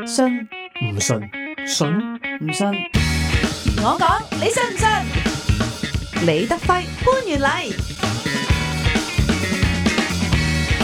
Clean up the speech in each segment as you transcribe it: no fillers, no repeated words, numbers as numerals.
信唔信，信唔信？我講，你信唔信？李德輝、潘元禮。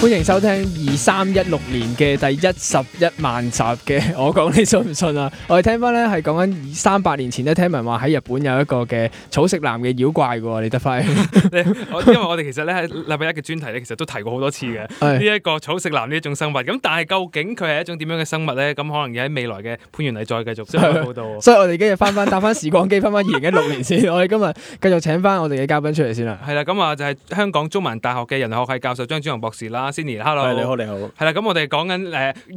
歡迎收聽2316年嘅第11萬集嘅我講你信唔信啊？我哋聽翻咧係講緊300年前咧，聽聞話喺日本有一個嘅草食男嘅妖怪嘅喎，李德輝。因為我哋其實咧喺禮拜一嘅專題咧，其實都提過好多次嘅呢一個草食男呢一種生物。咁但係究竟佢係一種點樣嘅生物咧？咁可能要喺未來嘅潘元禮再繼續報道。所以我哋今日搭翻時光機，翻2016年先。我哋今日繼續請翻我哋嘅嘉賓出嚟先啦。係啦，咁啊就係香港中文大學嘅人類學系教授張梓雄博士啦。Cindy，hello， 你好。係啦，咁我哋講緊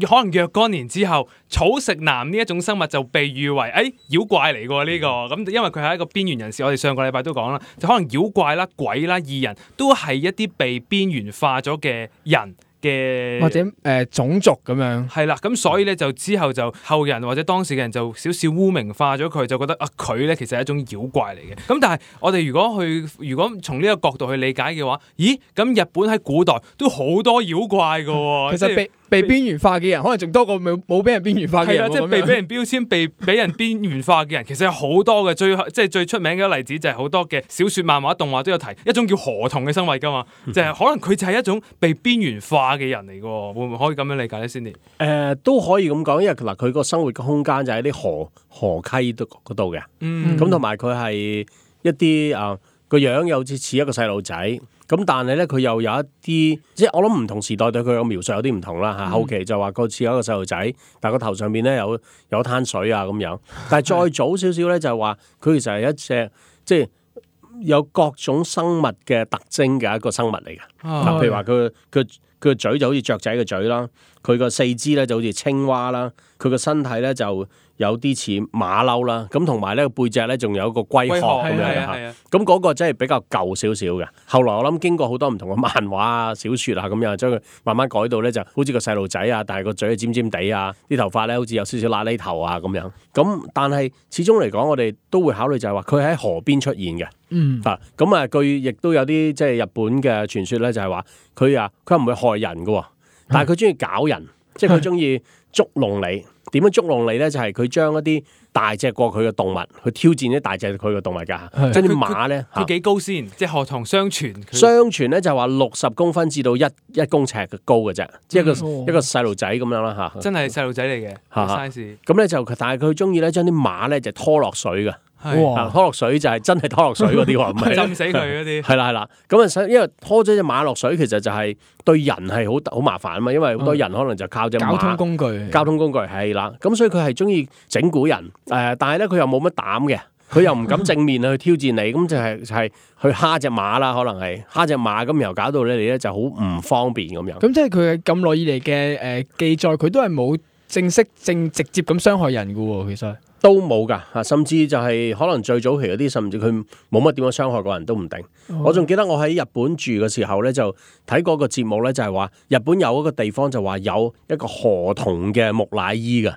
可能若干年之後，草食男呢一種生物就被譽為妖怪嚟㗎呢個。咁因為佢係一個邊緣人士，我哋上個禮拜都講啦，就可能妖怪啦、鬼啦、異人都係一啲被邊緣化咗嘅人嘅或者種族咁樣。係啦，咁所以咧就之後就後人或者當時嘅人就少少污名化咗佢，就覺得佢咧其實係一種妖怪嚟嘅。咁但係我哋如果從呢個角度去理解嘅話，咦？咁日本喺古代都好多妖怪㗎喎。其實被邊緣化嘅人，可能仲多過冇俾人邊緣化嘅人。係啦，即係被人標籤、俾人邊緣化嘅人，其實有好多嘅。最出名嘅例子就係好多嘅小說、漫畫、動畫都有提一種叫河童嘅生物㗎嘛。就係可能佢就係一種被邊緣化嘅人嚟㗎，會唔會可以咁樣理解咧？Cindy，都可以咁講，因為嗱佢個生活嘅空間就喺啲河溪嗰度嘅。咁同埋佢係一啲個樣又似一個細路仔。咁但係咧，佢又有一啲，即係我諗唔同時代對佢嘅描述有啲唔同啦嚇。後期就話佢似一個細路仔，但係個頭上邊咧有一灘水啊咁樣。但係再早少少咧，就係話佢其實係一隻即係有各種生物嘅特徵嘅一個生物嚟嘅。嗱，譬如話佢個嘴就好似雀仔嘅嘴啦，佢個四肢咧就好似青蛙啦，佢個身體咧就有啲似馬騮啦，咁同埋咧個背脊咧仲有一個龜殼咁樣嚇，咁嗰個真係比較舊少少嘅。後來我諗經過好多唔同嘅漫畫啊、小説啊咁樣，將佢慢慢改到咧就好似個細路仔啊，但係個嘴尖尖地啊，啲頭髮咧好似有少少喇喱頭啊咁樣。咁但係始終嚟講，我哋都會考慮就係話佢喺河邊出現嘅。據亦都有啲即係日本嘅傳說咧，就係話佢唔會害人嘅，但係佢中意搞人，即係佢中意捉弄你。點樣捉弄你咧？就係佢將一啲大隻過佢嘅動物去挑戰啲大隻佢嘅動物㗎。即係啲馬咧，佢幾高先？即係河童相傳咧就話60公分至到一公尺嘅高嘅啫，即係一個細路仔咁樣啦嚇。真係細路仔嚟嘅 size。咁咧但係佢中意咧將啲馬咧就拖落水嘅。拖落水就係真係拖落水嗰啲喎，唔係浸死佢嗰啲。係啦，咁因為拖咗隻馬落水，其實就係對人係好麻煩啊嘛，因為好多人可能就靠隻馬。交通工具係啦，咁所以佢係中意整蠱人，但係咧佢又冇乜膽嘅，佢又唔敢正面去挑戰你，咁就係去蝦隻馬啦，可能係蝦隻馬，咁然後搞到你咧就好唔方便咁樣。咁即係佢咁耐以嚟嘅記載，佢都係冇直接咁傷害人㗎喎，其實。都冇㗎，甚至就係可能最早期嗰啲，甚至佢冇乜點樣傷害過人都唔定。我仲記得我喺日本住嘅時候咧，就睇過個節目咧，就係話日本有一個地方就話有一個河童嘅木乃伊㗎。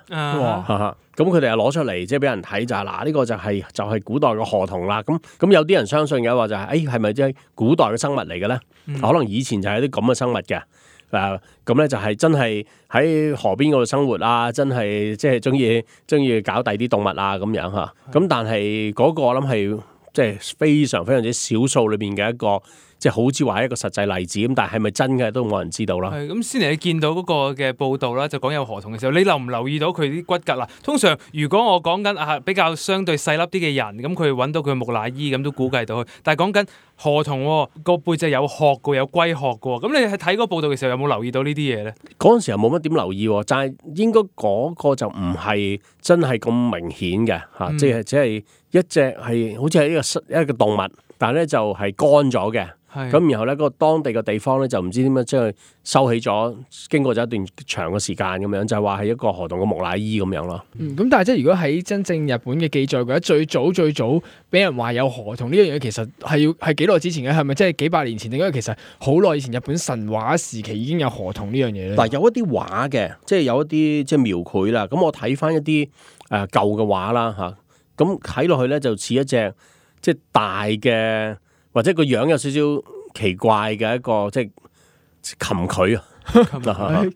咁佢哋又攞出嚟，即係俾人睇就係嗱，呢個就係古代嘅河童啦。咁有啲人相信嘅話就係係咪即係古代嘅生物嚟嘅咧？可能以前就係啲咁嘅生物嘅。咁咧就係真係喺河邊嗰度生活啊，真係即係中意搞第啲動物啊咁樣嚇。咁但係嗰個我諗係即係非常非常之少數裏邊嘅一個，即係好似話一個實際例子咁。但係咪真嘅都冇人知道啦。咁先嚟你見到嗰個嘅報道啦，就講有河童嘅時候，你留唔留意到佢啲骨骼啦？通常如果我講緊比較相對細粒啲嘅人，咁佢揾到佢木乃伊咁都估計到佢。但係講緊河童個背脊有殼嘅，有龜殼嘅，咁你喺睇嗰個報道嘅時候有冇留意到呢啲嘢咧？嗰陣時又冇乜點留意，但係應該嗰個就唔係真係咁明顯嘅嚇，即係只係一隻係好似係一個動物，但係咧就係乾咗嘅。咁然後咧，個當地嘅地方咧就唔知點樣將佢收起咗，經過咗一段長嘅時間咁樣，就係話係一個河童嘅木乃伊咁樣咯。咁但係即係如果喺真正日本嘅記載嘅話，最早俾人話有河童呢樣嘢，其實係幾耐之前嘅？係咪即係幾百年前？定因為其實好耐以前日本神話時期已經有河童呢樣嘢咧？嗱，有一啲畫嘅，即係有一啲即係描繪啦。咁我睇翻一啲舊嘅畫啦嚇，咁睇落去咧就似一隻即係大嘅。或者個樣有少少奇怪嘅一個即係蠄蟝啊，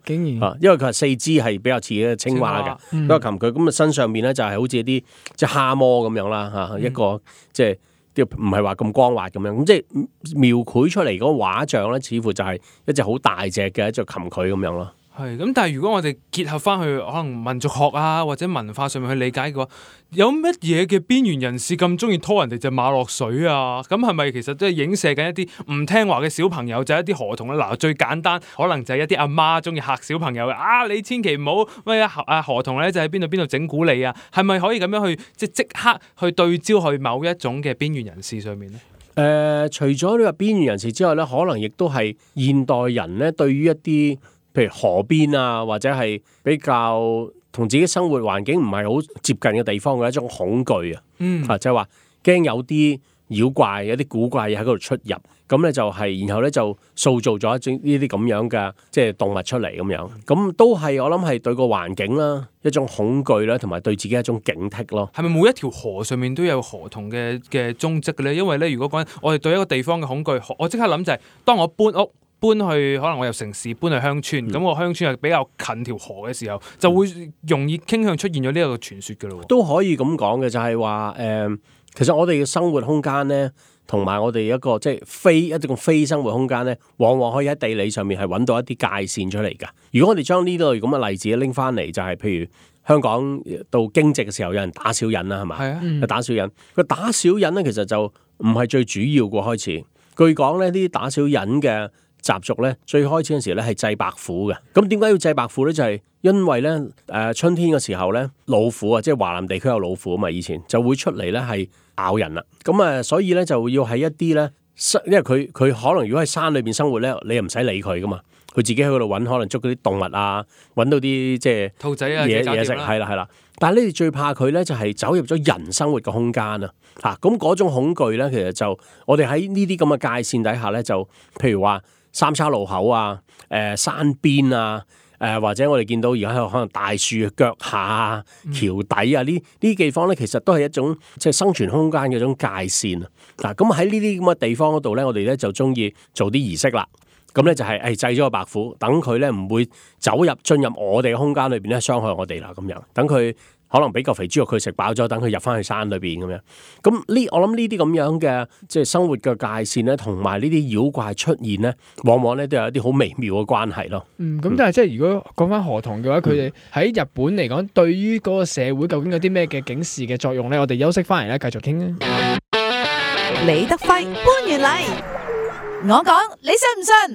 竟然因為佢係四肢係比較似嘅青蛙嘅，嗯嗰個蠄蟝咁啊身上面咧就係好似一啲即係蝦蟆咁樣啦嚇，一個即係唔係話咁光滑咁樣，咁即係描繪出嚟嗰個畫像咧，似乎就係一隻好大隻嘅一隻蠄蟝咁樣咯。係咁，但係如果我哋結合翻去可能民族學啊或者文化上面去理解嘅話，有乜嘢嘅邊緣人士咁中意拖人哋隻馬落水啊？咁係咪其實都係影射緊一啲唔聽話嘅小朋友，就係一啲河童咧？嗱，最簡單可能就係一啲阿媽中意嚇小朋友嘅啊！你千祈唔好咩河童咧就喺邊度整蠱你啊？係咪可以咁樣去即刻去對焦去某一種嘅邊緣人士上面咧？除咗呢個邊緣人士之外咧，可能亦都係現代人咧對於一啲譬如河邊啊，或者係比較同自己生活環境唔係好接近嘅地方嘅一種恐懼啊，就係話驚有啲妖怪、有啲古怪嘢喺嗰度出入，咁咧就係，然後咧就塑造咗一種呢啲咁樣嘅即係動物出嚟咁樣，咁都係我諗係對個環境啦一種恐懼啦，同埋對自己一種警惕咯。係咪每一條河上面都有河童嘅蹤跡嘅咧？因為咧，如果講我哋對一個地方嘅恐懼，我即刻諗就係當我搬去可能我由城市搬去鄉村，咁我鄉村係比較近條河嘅時候，就會容易傾向出現咗呢一個傳說嘅咯。都可以咁講嘅，就係話其實我哋嘅生活空間咧，同埋我哋一個即係一種非生活空間咧，往往可以喺地理上面係揾到一啲界線出嚟㗎。如果我哋將呢類咁嘅例子拎翻嚟，就係譬如香港到驚蟄嘅時候，有人打小人啦，係嘛？係啊，打小人。佢打小人咧，其實就唔係最主要個開始。據講咧，呢啲打小人嘅習俗咧，最開始嗰時咧係祭白虎嘅。咁點解要祭白虎咧？就係因為咧春天嘅時候咧，老虎啊，即係華南地區有老虎啊嘛，以前就會出嚟咧係咬人啦。咁所以咧就要喺一啲咧，因為佢可能如果喺山裏邊生活咧，你又唔使理佢噶嘛，佢自己喺嗰度揾，可能捉嗰啲動物啊，揾到啲即係兔仔啊嘢食，係啦。但係你哋最怕佢咧，就係走入咗人生活嘅空間啊！咁嗰種恐懼咧，其實就我哋喺呢啲咁嘅界線底下咧，就譬如話三叉路口啊、山邊啊、或者我哋見到而家喺度可能大樹腳下啊、橋底啊呢啲地方咧，其實都係一種即係生存空間嘅一種界線啊！咁喺呢啲咁嘅地方嗰度咧，我哋咧就中意做啲儀式啦。咁咧就係祭咗個白虎，等佢咧唔會進入我哋嘅空間裏邊咧傷害我哋啦。咁樣等佢可能俾嚿肥豬肉佢食飽咗，等佢入翻去山裏邊咁樣。咁我諗呢啲咁樣嘅即係生活嘅界線咧，同埋呢啲妖怪出現咧，往往咧都有一啲好微妙嘅關係咯。咁但係即係如果講翻河童嘅話，佢哋喺日本嚟講，對於嗰個社會究竟有啲咩嘅警示嘅作用咧？我哋休息翻嚟咧，繼續傾啊。李德輝、潘元禮，我講你信唔信？